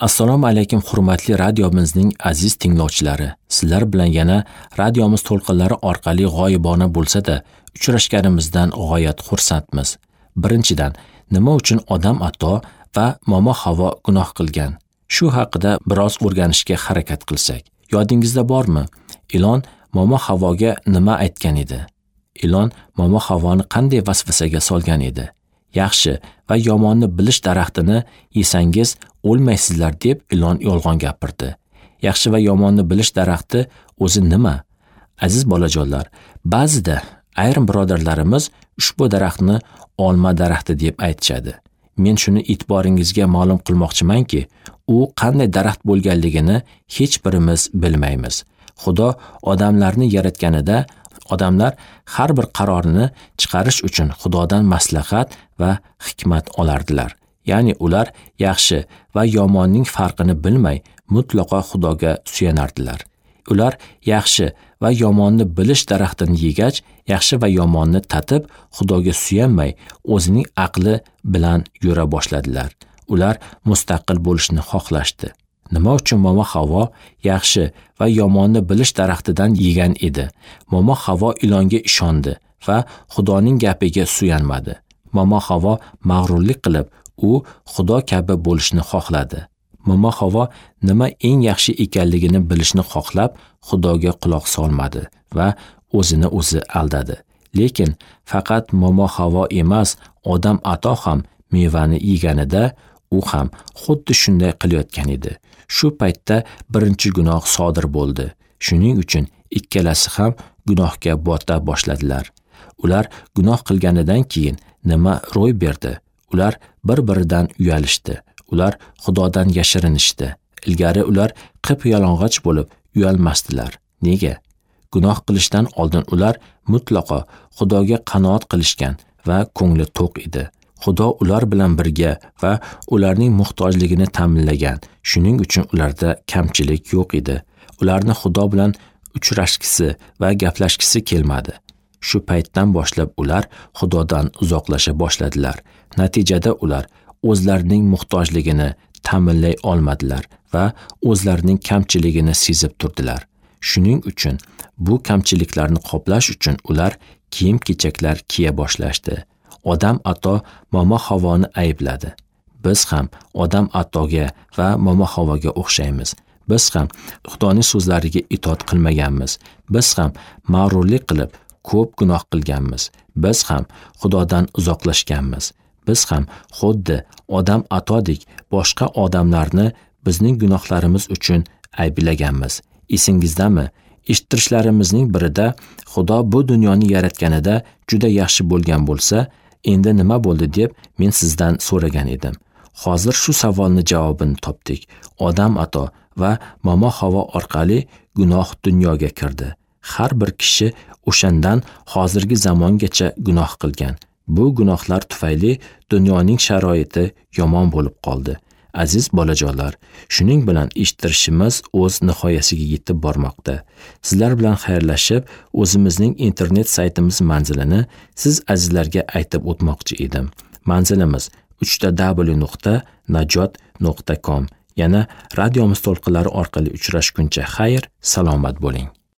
Assalomu alaykum hurmatli radiomizning aziz tinglovchilari. Sizlar bilan yana radiomiz to'lqinlari orqali g'oyibona bo'lsa-da uchrashganimizdan g'oyat xursandmiz. Birinchidan, nima uchun Odam ato va Momo Havo gunoh qilgan? Shu haqida biroz o'rganishga harakat qilsak. Yodingizda bormi? Ilon Momo Havoga nima aytgan edi? Ilon Momo Havoni qanday vasvasaga solgan edi? Yaxshi va yomonni bilish daraxtini yesangiz o'lmaysizlar deb ilon yolg'on gapirdi. Yaxshi va yomonni bilish daraxti o'zi nima? Aziz bolajonlar, ba'zida ayrim birodarlarimiz ushbu daraxtni olma daraxti deb aytishadi. Men shuni e'tiboringizga ma'lum qilmoqchimanki, u qanday daraxt bo'lganligini hech birimiz bilmaymiz. Xudo odamlarni yaratganida odamlar har bir qarorni chiqarish uchun Xudodan maslahat va hikmat olardilar. Ya'ni ular yaxshi va yomonning farqini bilmay mutlaqo Xudoga suyanardilar. Ular yaxshi va yomonni bilish daraxtini yegach, yaxshi va yomonni tatib, Xudoga suyanmay o'zining aqli bilan yura boshladilar. Ular mustaqil bo'lishni xohlashdi. Nima uchun Momo Havo yaxshi va yomonni bilish daraxtidan yegan edi? Momo Havo ilonga ishondi va Xudoning gapiga suyanmadi. Momo Havo mag'rurlik qilib, u Xudo kabi bo'lishni xohladi. Momo Havo nima eng yaxshi ekanligini bilishni xohlab, Xudoga quloq solmadi va o'zini o'zi aldadi. Lekin faqat Momo Havo emas, Odam ato ham mevani yeganida u ham xuddi shunday qilayotgan edi. Shu paytda birinchi gunoh sodir bo'ldi. Shuning uchun ikkalasi ham gunohga bota boshladilar. Ular gunoh qilganidan keyin nima ro'y berdi? Ular bir-biridan uyalishdi. Ular Xudodan yashirinishdi. Ilgari ular qip-yalang'och bo'lib uyalmasdilar. Nega? Gunoh qilishdan oldin ular mutlaqo Xudoga qanoat qilishgan va ko'ngli to'q edi. Xudo ular bilan birga va ularning muhtojligini ta'minlagan. Shuning uchun ularda kamchilik yo'q edi. Ularni Xudo bilan uchrashgisi va gaplashgisi kelmadi. Shu paytdan boshlab ular Xudodan uzoqlasha boshladilar. Natijada ular o'zlarining muhtojligini ta'minlay olmadilar va o'zlarining kamchiligini sezib turdilar. Shuning uchun bu kamchiliklarni qoplash uchun ular kiyim-kechaklar kiya boshlashdi. Odam ato Momo Havoni aybladi. Biz ham Odam atoga va Momo Havoga o'xshaymiz. Biz ham Xudoning so'zlariga itoat qilmaganmiz. Biz ham mag'rurlik qilib ko'p gunoh qilganmiz. Biz ham Xudodan uzoqlashganmiz. Biz ham xuddi Odam atodek boshqa odamlarni bizning gunohlarimiz uchun ayblaganmiz. Esingizdami? Eshittirishlarimizning birida Xudo bu dunyoni yaratganida juda yaxshi bo'lgan bo'lsa, endi nima bo'ldi deb men sizdan so'ragan edim. Hozir shu savolni javobini topdik. Odam ato va Momo Havo orqali gunoh dunyoga kirdi. Har bir kishi o'shandan hozirgi zamongacha gunoh qilgan. Bu gunohlar tufayli dunyoning sharoiti yomon bo'lib qoldi. Aziz bolajonlar, shuning bilan eshittirishimiz o'z nihoyasiga yetib bormoqda. Sizlar bilan xayrlashib, o'zimizning internet saytimiz manzilini siz azizlarga aytib o'tmoqchi edim. Manzilimiz www.najot.com. Yana radiomiz to'lqinlari orqali uchrashguncha xayr, salomat bo'ling.